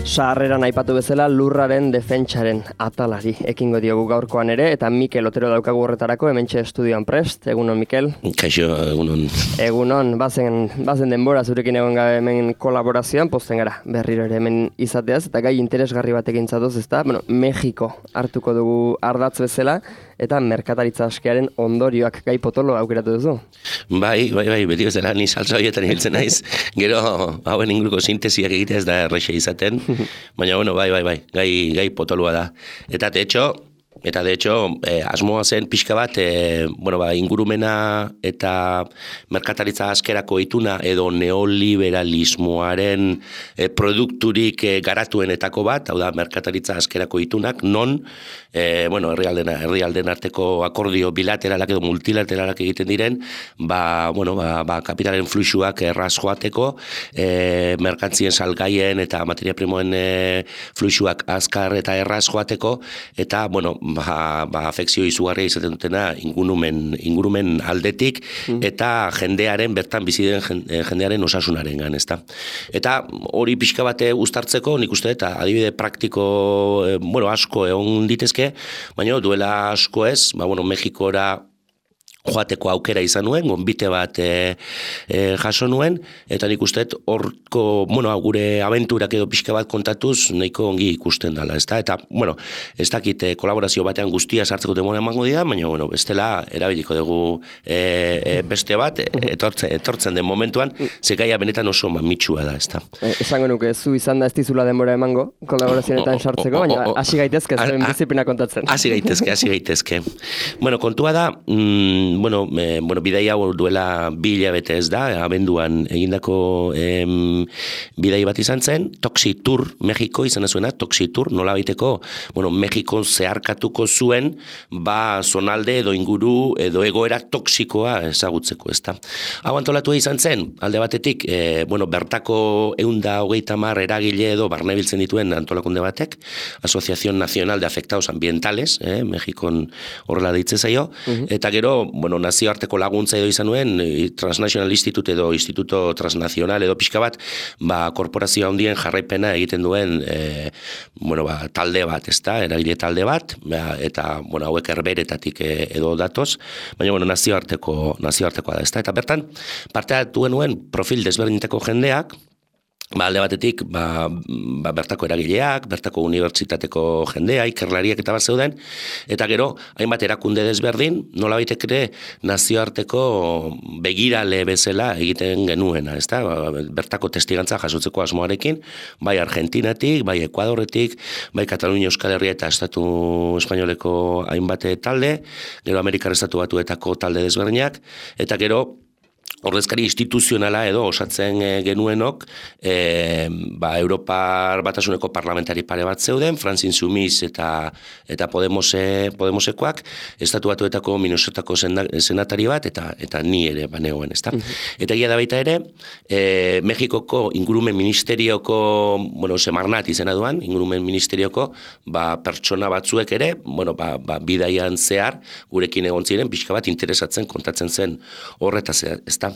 Sarreran aipatu bezala lurraren defentsaren atalari ekingo diogu gaurkoan ere, eta Mikel Otero daukagu horretarako, hementxe estudioan prest. Egunon, Mikel? Kaixo, egunon. Egunon, bazen denbora zurekin egon gabe hemen kolaborazioan, pozten gara berriro ere hemen izateaz, eta gai interesgarri batekin zatoz, ezta? Bueno, Mexiko hartuko dugu ardatz bezala, eta merkataritza askearen ondorioak gai potolo aukeratu duzu. Bai, beti bezala, ni salsa horietan hiltzen naiz. Gero, hauen inguruko sintesiak egitea ez da erreixa izaten. Baina, bueno, bai, gai potolua da. Eta, de hecho, asmoa zen pixka bat, ingurumena eta merkataritza askerako ituna edo neoliberalismoaren produkturik garatuenetako bat, hau da, merkataritza askerako itunak, non, herrialden arteko akordio bilateralak edo multilateralak egiten diren, kapitalen fluxuak erraz joateko, merkantzien salgaien eta materia primoen fluxuak azkar eta erraz joateko, eta, afekzio izugarria izaten dutena ingurumen aldetik eta jendearen, bertan bizi den jendearen osasunarengan, ezta. Eta hori pixka bate uztartzeko, nik uste eta adibide praktiko, asko egon ditezke, baina duela asko ez, Mexikora joateko aukera izan nuen, gonbite bat jaso nuen, eta nik usteet horko, gure abenturak edo pixka bat kontatuz, nahiko ongi ikusten dela, ezta? Eta, ez dakit kolaborazio batean guztia sartzeko demora emango dira, baina, bestela, erabiliko dugu beste bat, etortzen den momentuan, zekaia benetan oso mamitsua da, ezta? Esango nuke, zu izan da ez dizula denbora emango, kolaborazioetan sartzeko, baina hasi gaitezke, zuen biziplina kontatzen. Hasi gaitezke. Kontua da, bidai hau duela 2 hilabete ez da, abenduan egindako bidai bat izan zen, Toxitour, Mexiko izan zuena, Toxitour, nola baiteko, Mexikon zeharkatuko zuen, zonalde edo inguru edo egoera toxikoa ezagutzeko, ez da. Hau antolatu izan zen, alde batetik, bertako 130 eragile edo barnebiltzen dituen antolakunde batek, Asociación Nacional de Afectados Ambientales, Mexikon horrela deitzen zaio, eta gero, nazioarteko laguntza edo izan nuen, Transnational Institute edo Instituto Transnacional edo pixka bat, korporazio handien jarraipena egiten duen, talde bat, ezta, eragile talde bat, eta, hauek herberetatik edo datoz, baina, nazioartekoa da, ezta, eta bertan, parte hartu nuen profil desberdinetako jendeak, alde batetik, bertako eragileak, bertako unibertsitateko jendea, ikerlariak eta bat zeuden, eta gero, hainbat erakunde desberdin, nola baitek ere nazioarteko begirale bezala egiten genuena, ezta? Bertako testigantza jasotzeko asmoarekin, bai Argentinatik, bai Ekuadorretik, bai Katalunia Euskal Herria eta Estatu Espainoleko hainbat talde, gero Amerikar Estatu Batuetako talde desberdinak, eta gero, ordezkari instituzionala edo osatzen genuenok, Europar Batasuneko parlamentari pare bat zeuden, Franz Insoumis eta Podemosekoak, Estatu Batuetako Minnesotako senatari bat, eta ni ere banegoen, ezta? Eta egia da baita ere, Mexikoko ingurumen ministerioko, Semarnat izena duan, ingurumen ministerioko, pertsona batzuek ere, bidaian zehar, gurekin egon ziren, pixka bat interesatzen kontatzen zen horretaz, ezta?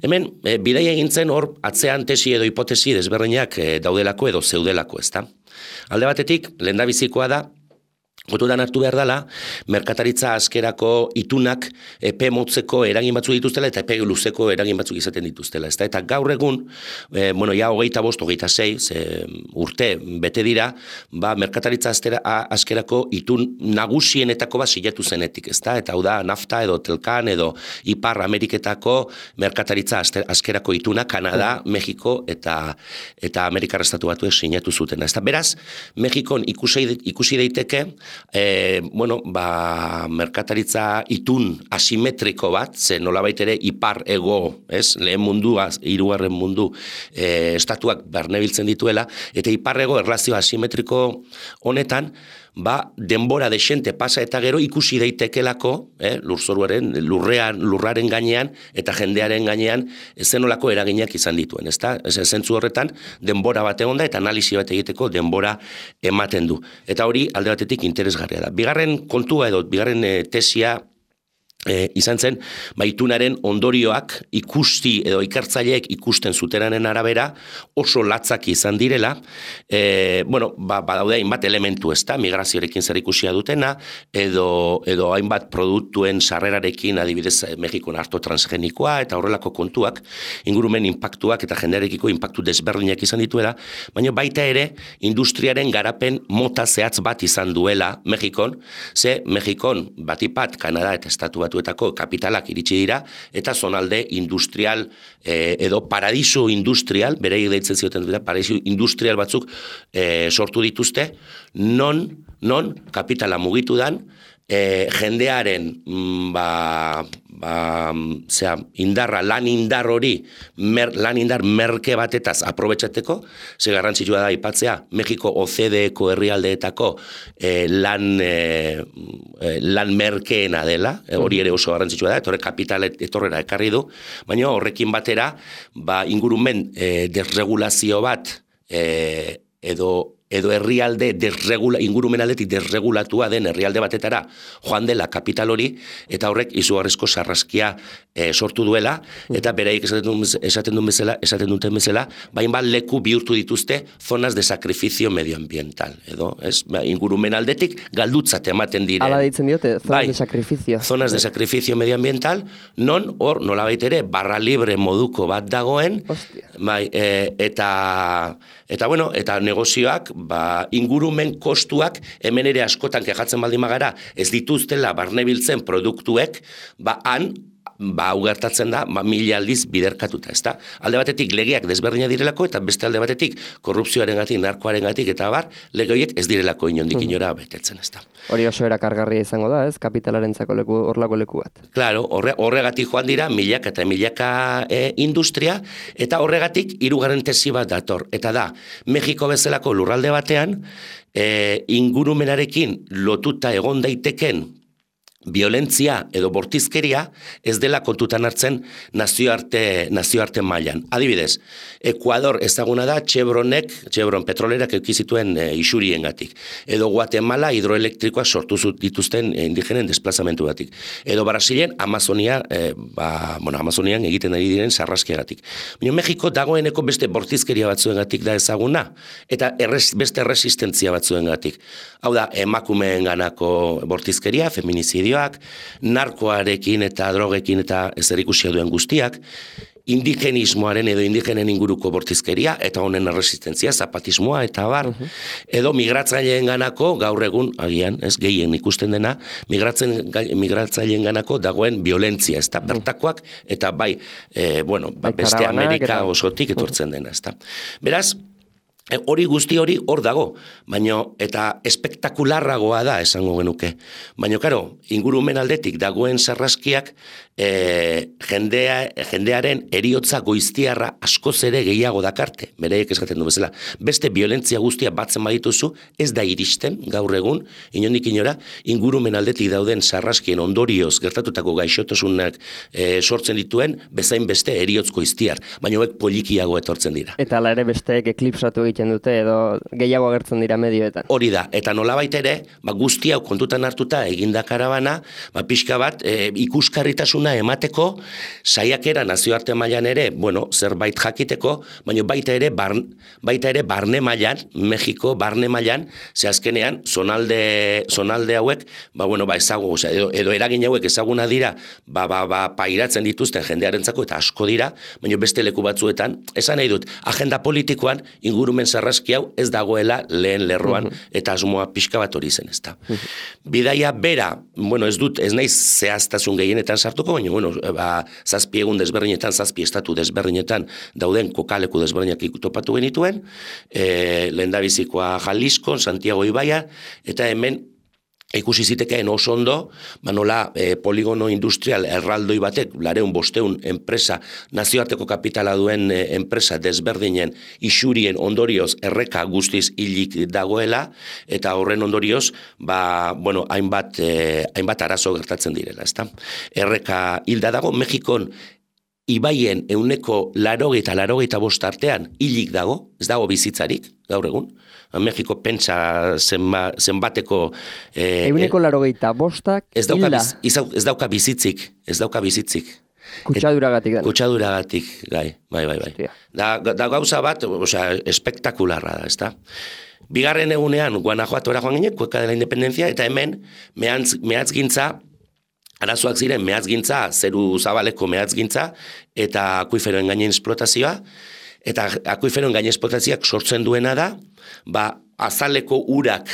Hemen, bidaia egintzen hor atzean tesi edo hipotesi desberdinak daudelako edo zeudelako, ezta? Alde batetik, lehendabizikoa da, kontutan hartu behar dela, merkataritza askerako itunak epe motzeko eragin batzuk dituztela eta epe luzeko eragin batzuk izaten dituztela. Eta gaur egun, ja 25, 26 urte bete dira, merkataritza askerako itun nagusienetako bat silatu zenetik, ezta? Eta hau da, NAFTA edo Telkan edo Ipar Ameriketako merkataritza askerako ituna, Kanada, Mexiko eta Amerikar Estatu Batuek sinatu zuten. Beraz, Mexikon ikusi daiteke, merkataritza itun asimetriko bat, ze nolabait ere ipar ego, lehen mundua, 3. mundu estatuak barnebiltzen dituela, eta ipar ego erlazio asimetriko honetan, denbora desente pasa eta gero ikusi daitekelako, lurraren gainean eta jendearen gainean zenolako eraginak izan dituen, ezta? Zentzu horretan, denbora bat egon da eta analisi bat egiteko denbora ematen du. Eta hori alde batetik interesgarria da. Bigarren kontua edo, bigarren tesia izan zen, itunaren ondorioak ikusti edo ikertzaileek ikusten zuteranen arabera oso latzak izan direla, badaude hainbat elementu ezta, migrazioarekin zer ikusia dutena, edo hainbat produktuen sarrerarekin, adibidez Mexikon arto transgenikoa eta horrelako kontuak, ingurumen inpaktuak eta jendearekiko inpaktu desberdinak izan dituela, baina baita ere industriaren garapen mota zehatz bat izan duela Mexikon, ze Mexikon batipat Kanada eta Estatu Batuetako kapitalak iritsi dira, eta zonalde industrial edo paradiso industrial, bereik deitzen zioten dira, paradiso industrial batzuk sortu dituzte, non kapitala mugitu dan, jendearen indarra, lan indar hori, lan indar merke batetaz aprobetxateko, ze garrantzitsua da aipatzea, Mexiko OCDE-ko herrialdeetako lan merkeena dela, hori ere oso garrantzitsua da, etorre kapital etorrera ekarri du, baina horrekin batera, ingurumen desregulazio bat, edo herrialde ingurumen aldetik desregulatua den herrialde batetara joan dela kapital hori, eta horrek izugarrizko sarraskia sortu duela, eta bereik esaten duten bezala, bat leku bihurtu dituzte zonas de sacrificio medioambiental, edo, ingurumen aldetik galdutzat ematen dire. Hala deitzen diote, zonas de sacrificio. Zonas de sacrificio medioambiental, non hor nolabait ere barra libre moduko bat dagoen, eta negozioak ingurumen kostuak hemen ere askotan kejatzen baldin magara ez dituztela barnebiltzen produktuek, hau gertatzen da, 1000 aldiz biderkatuta, ezta? Alde batetik legeak desberdina direlako, eta beste alde batetik korrupzioarengatik, narkoarengatik, eta lege horiek ez direlako inondik inora betetzen, ezta? Hori oso erakargarria izango da, ez? Kapitalarentzako horlako leku bat. Claro, horregatik joan dira milaka eta milaka industria, eta horregatik hirugarren tesi bat dator. Eta da, Mexiko bezalako lurralde batean, ingurumenarekin lotuta egon daiteken violentzia edo bortizkeria ez dela kontutan hartzen nazioarte mailan. Adibidez, Ekuador ezaguna da Chevron petrolerak eukizituen isuriengatik. Edo Guatemala hidroelektrikoak sortu dituzten indigenen desplazamentu batik. Edo Brasilen Amazonian egiten ari diren sarraskiagatik. Baina Mexiko dagoeneko beste bortizkeria batzuengatik da ezaguna, eta beste resistentzia batzuengatik. Hau da, emakumeen ganako bortizkeria, feminizidioak, narkoarekin eta drogekin eta ezerikusia duen guztiak, indigenismoaren edo indigenen inguruko bortizkeria, eta honen resistentzia, zapatismoa eta edo migratzaileen ganako, gaur egun, agian, gehien ikusten dena, migratzaileen ganako dagoen violentzia, ez da, bertakoak, eta beste Amerika osotik etortzen dena, ez da. Beraz, hori guzti hori hor dago, eta espektakularragoa da esango genuke. Baina, karo, ingurumen aldetik dagoen sarraskiak jendearen eriotza goiztiarra askoz ere gehiago dakarte, bereiek eskatzen du bezala. Beste violentzia guztia batzen badituzu, ez da iristen gaur egun, inondik inora, ingurumen aldetik dauden sarraskien ondorioz gertatutako gaixotasunak sortzen dituen, bezain beste eriotz goiztiar, baina hauek polikiago etortzen dira. Eta ala ere besteek eklipsatu egiten dute edo gehiago agertzen dira medioetan. Hori da, eta nolabait ere, guzti hau kontutan hartuta eginda karabana, pixka bat ikuskarritasuna emateko, saiakera nazioarte mailan ere, zerbait jakiteko, baina baita ere barne mailan, Mexiko barne mailan, ze azkenean zonalde hauek, edo eragin hauek ezaguna dira, pairatzen dituzten jendearentzako eta asko dira, baina beste leku batzuetan, esan nahi dut, agenda politikoan ingurumen sarraski hau ez dagoela lehen lerroan, eta asmoa pixka bat hori zen, ezta. Bidaia bera, ez naiz zehaztasun gehienetan sartuko, baina, zazpi egun desberdinetan, zazpi estatu desberdinetan dauden kokaleku desberdinak topatu genituen, lehendabizikoa Jalisco, Santiago Ibaia, eta hemen ikusi zitekeen oso ondo, nola poligono industrial erraldoi batek, 200 enpresa, nazioarteko kapitala duen enpresa desberdinen isurien ondorioz erreka guztiz hilik dagoela, eta horren ondorioz, hainbat arazo gertatzen direla, ezta? Erreka hilda dago, Mexikon ibaien 85% artean hilik dago, ez dago bizitzarik, gaur egun. Mexiko pentsa zenbateko... 85% hilda. Ez dauka bizitzik. Kutsaduragatik da. Kutsaduragatik, bai. Da gauza bat, espektakularra da, ezta? Bigarren egunean, Guanajuatora joan ginen, Kueka de la Independencia, eta hemen mehatzgintza, arazoak ziren mehatzgintza, zeru zabaleko mehatzgintza, eta akuiferoen gainen esplotazioa, eta akuiferoen gainen esplotazioak sortzen duena da, azaleko urak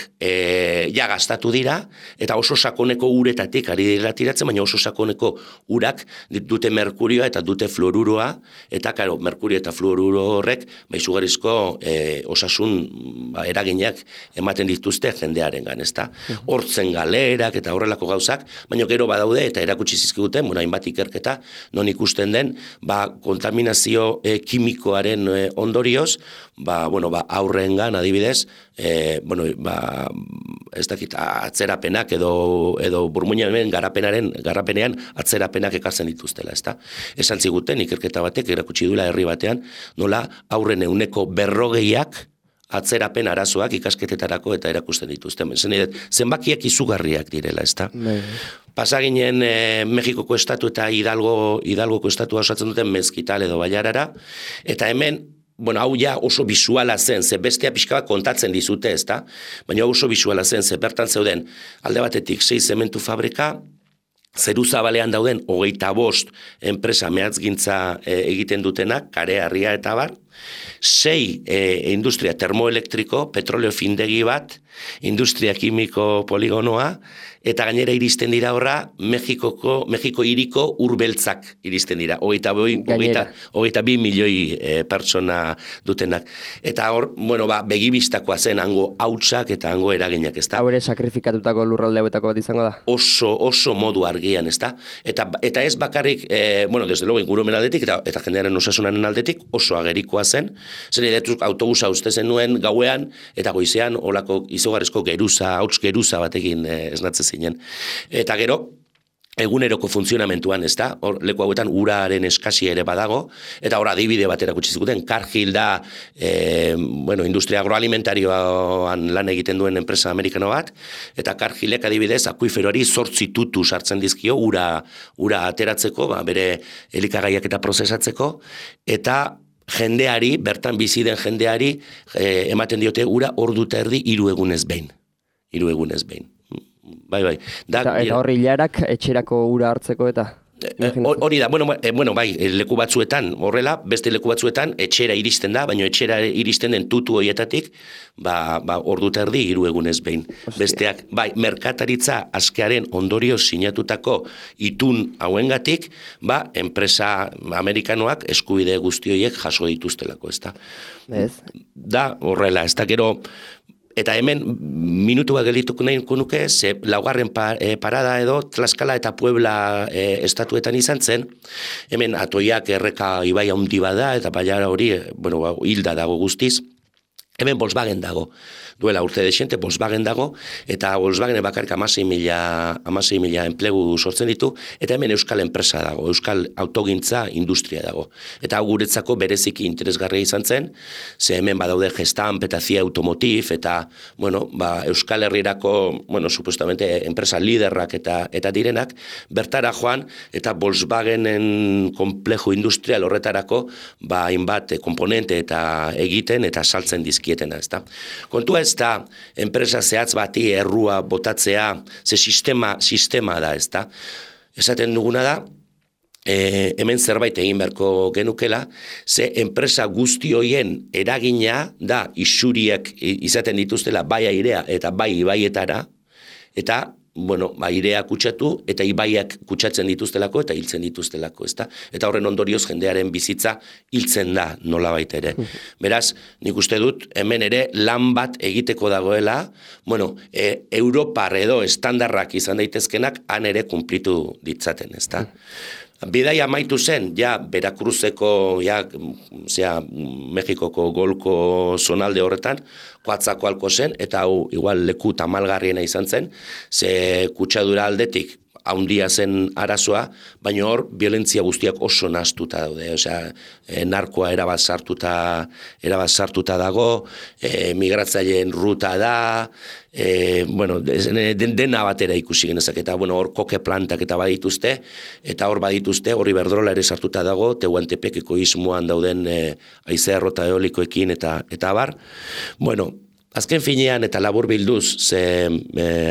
ja gastatu dira, eta oso sakoneko uretatik ari dira tiratzen, baina oso sakoneko urak dute merkurioa eta dute fluoruroa, eta karo, merkurio eta fluoruro horrek, izugarrizko osasun eraginak ematen dituzte jendearengan, ezta? Hortzen galerak eta horrelako gauzak, baina gero badaude eta erakutsi zizkiguten, hainbat ikerketa, non ikusten den, kontaminazio kimikoaren ondorioz, aurrengan adibidez, ez dakit atzerapenak edo burmuinaren garapenean atzerapenak ekartzen dituztela, ezta? Esan ziguten ikerketa batek erakutsi duela herri batean, nola aurren 40%ak atzerapen arazoak ikasketetarako eta erakusten dituzten. Zenbakiak izugarriak direla, ezta? Pasaginen Mexikoko estatu eta Hidalgoko estatua osatzen duten Mezquital edo Bailarara, eta hemen hau ja oso bisuala zen, ze bestea pixka bat kontatzen dizute, ezta? Baina oso bisuala zen, ze bertan zeuden alde batetik 6 zementu fabrika, zeru zabalean dauden 25 enpresa mehatzgintza egiten dutenak, Kare, Harria eta bar, 6 industria termoelektriko, petroleo findegi bat, industria kimiko poligonoa, eta gainera iristen dira horra Mexiko hiriko urbeltzak iristen dira, 22 milioi pertsona dutenak. Eta hor, begibistakoa zen hango hautsak eta hango eraginak, ezta? Hau ere sakrifikatutako lurralde hauetako bat izango da? Oso modu argian, ezta? Eta ez bakarrik, desde luego ingurumen aldetik eta jendearen osasunaren aldetik oso agerikoa zen, zen edetuk autobusa uste zen nuen gauean, eta goizean olako izugarrizko hauts geruza batekin esnatzen zinen. Eta gero, eguneroko funtzionamentuan, ezta? Hor leku hauetan uraren eskasia ere badago, eta hor adibide bat erakutsi ziguten, Cargill da industria agroalimentarioan lan egiten duen enpresa amerikano bat, eta Cargillek adibidez akuiferoari 8 tutu sartzen dizkio ura ateratzeko, bere elikagaiak eta prozesatzeko, eta jendeari, bertan bizi den jendeari, ematen diote ura ordu eta erdi 3 egunez behin. 3 egunez behin. Bai. Eta horri hilarak etxerako ura hartzeko eta? Hori da, bai, leku batzuetan, horrela, beste leku batzuetan, etxera iristen da, baina etxera iristen den tutu horietatik, ordu eta erdi 3 egunez behin. Besteak, bai, merkataritza askearen ondorio sinatutako itun hauengatik, enpresa amerikanoak eskubide guzti horiek jaso dituztelako, ezta? Da, horrela, ez da gero, eta hemen minutu bat gelituko nahiko nuke, ze laugarren parada edo Tlaxcala eta Puebla estatuetan izan zen, hemen Atoiak erreka ibai handi bada, eta Bailara hori, hilda dago guztiz, hemen Volkswagen dago. Duela urte desente, Volkswagen dago, eta Volkswagen bakarrik 16.000 enplegu sortzen ditu, eta hemen euskal enpresa dago, euskal autogintza industria dago. Eta hau guretzako bereziki interesgarria izan zen, ze hemen badaude Gestamp eta CIA Automotive, eta, euskal herrirako, supuestamente, enpresa liderrak eta direnak, bertara joan, eta Volkswagenen komplejo industrial horretarako, hainbat komponente eta egiten, eta saltzen dizkietena, ezta. Kontua ez da, enpresa zehatz bati errua botatzea, ze sistema da, ez da. Esaten duguna da, hemen zerbait egin beharko genukela, ze enpresa guzti hoien eragina da isuriak izaten dituztela bai airea eta bai ibaietara, eta airea kutsatu eta ibaiak kutsatzen dituztelako eta hiltzen dituztelako, ezta? Eta horren ondorioz jendearen bizitza hiltzen da nolabait ere. Beraz, nik uste dut hemen ere lan bat egiteko dagoela, Europar edo estandarrak izan daitezkenak han ere kumplitu ditzaten, ezta? Bidai amaitu zen, Veracruzeko, Mexikoko golko zonalde horretan, Coatzacoalco zen, eta hau igual leku tamalgarriena izan zen, ze kutsadura aldetik haundia zen arazoa, baina hor violentzia guztiak oso nahastuta daude, osea, narkoa erabat sartuta dago, migratzaileen ruta da, bueno, dena batera ikusi genezak, eta bueno, hor koke plantak eta badituzte, eta hor badituzte, horri Berdrola ere sartuta dago, Tehuantepek ekoizmoan dauden haizea errota eolikoekin eta bar. Bueno, azken finean eta labur bilduz, ze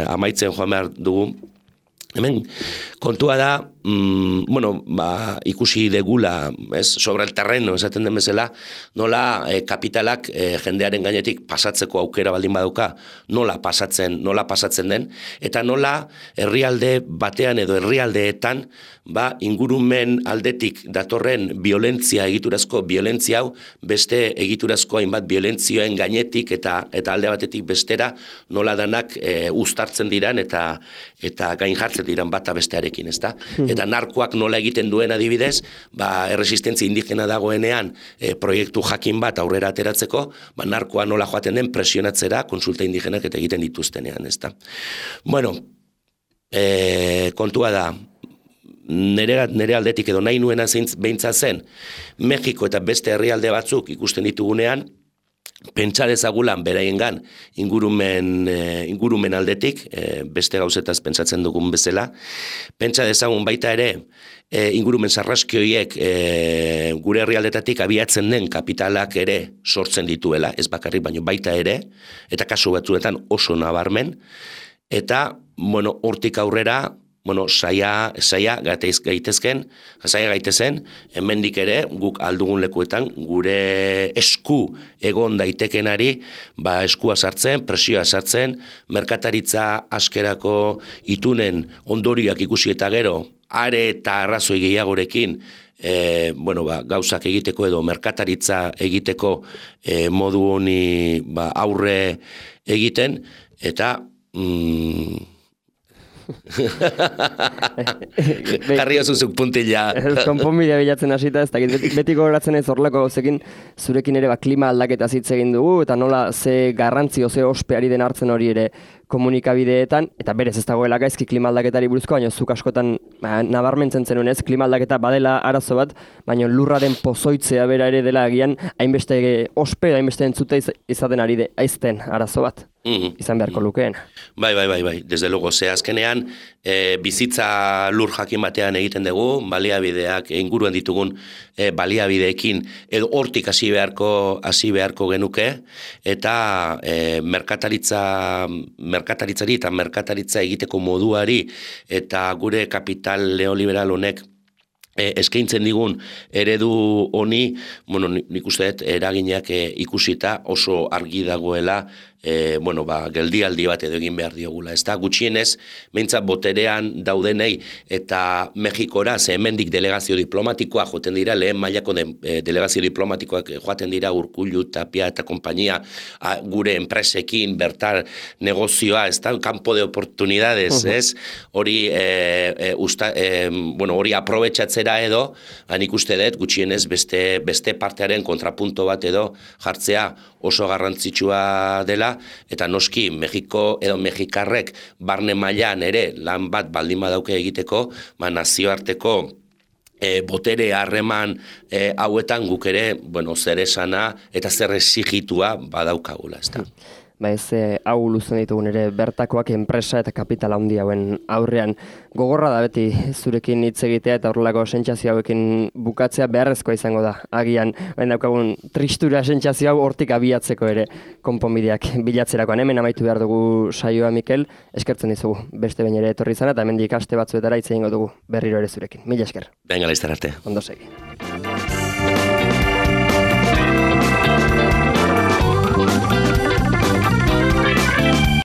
amaitzen joan behar dugu, hemen, kontua da, ikusi degula, sobre el terreno, esaten den bezala, nola kapitalak jendearen gainetik pasatzeko aukera baldin badauka, nola pasatzen den, eta nola herrialde batean edo herrialdeetan, ingurumen aldetik datorren egiturazko violentzia hau, beste egiturazko hainbat violentzioen gainetik eta alde batetik bestera, nola danak uztartzen diran eta gain jartzen diran bata bestearekin, ezta? Eta narkoak nola egiten duen adibidez, erresistentzia indigena dagoenean proiektu jakin bat aurrera ateratzeko, narkoa nola joaten den presionatzera konsulta indigenak eta egiten dituztenean, ezta? Bueno, kontua da, nere aldetik edo nahi nuena beintza zen, Mexiko eta beste herrialde batzuk ikusten ditugunean, pentsa dezagulan beraiengan ingurumen aldetik, beste gauzetaz pentsatzen dugun bezala, pentsa dezagun baita ere, ingurumen sarraskioiek gure herrialdetatik abiatzen den kapitalak ere sortzen dituela, ez bakarrik baino baita ere, eta kasu batzuetan oso nabarmen, eta, hortik aurrera, saia gaitezen, hemendik ere, guk aldugun lekuetan, gure esku egon daitekenari, eskua sartzen, presioa sartzen, merkataritza askerako itunen ondorioak ikusi eta gero, are eta arrazoi gehiagorekin, gauzak egiteko edo merkataritza egiteko modu honi aurre egiten, eta jarri osuzuk puntila. Konponbidea bilatzen hasita, ez dakit, beti gogoratzen ez horrelako gauzekin, zurekin ere klima aldaketa hitz egin dugu, eta nola ze garrantzio, ze ospeari den hartzen hori ere komunikabideetan, eta berez ez dagoela gaizki klima aldaketari buruzko, baina zuk askotan nabarmentzen zenuen ez, klima aldaketa badela arazo bat, baina lurraren pozoitzea bera ere dela agian, hainbeste ospe, hainbeste entzute izaten ari aizten arazo bat. Izan beharko lukeen. Bai, desde luego, ze azkenean bizitza lur jakin batean egiten dugu, baliabideak, inguruan ditugun baliabideekin, edo hortik hasi beharko genuke, eta merkataritzari eta merkataritza egiteko moduari, eta gure kapital neoliberal honek eskaintzen digun eredu honi, nik uste dut eraginak ikusita oso argi dagoela geldialdi bat edo egin behar diogula. Ez da, gutxienez, behintzat boterean daudenei eta Mexikora, ze hemendik delegazio diplomatikoa joten dira, lehen mailako delegazio diplomatikoak joaten dira Urkullu, Tapia eta kompainia gure enpresekin, bertar negozioa, ez da, campo de oportunidades, ez? Hori aprobetxatzera edo, nik uste dut, gutxienez, beste partearen kontrapunto bat edo jartzea oso garrantzitsua dela, eta noski Mexiko edo mexikarrek barne mailan ere lan bat baldin badauke egiteko, nazioarteko botere harreman hauetan guk ere, zer esana eta zer exigitua badaukagula, ez da. Hau luzen ditugun ere bertakoak enpresa eta kapital handi hauen aurrean. Gogorra da beti zurekin hitz egitea eta horrelako sentsazio hauekin bukatzea beharrezkoa izango da. Agian, daukagun tristura sentsazio hau hortik abiatzeko ere konponbideak bilatzerakoan. Hemen amaitu behar dugu saioa, Mikel, eskertzen dizugu. Beste behin ere etorri izana eta hemendik aste batzuetara hitz egingo dugu berriro ere zurekin. Mila esker. Venga, laizter arte. Ondo segi.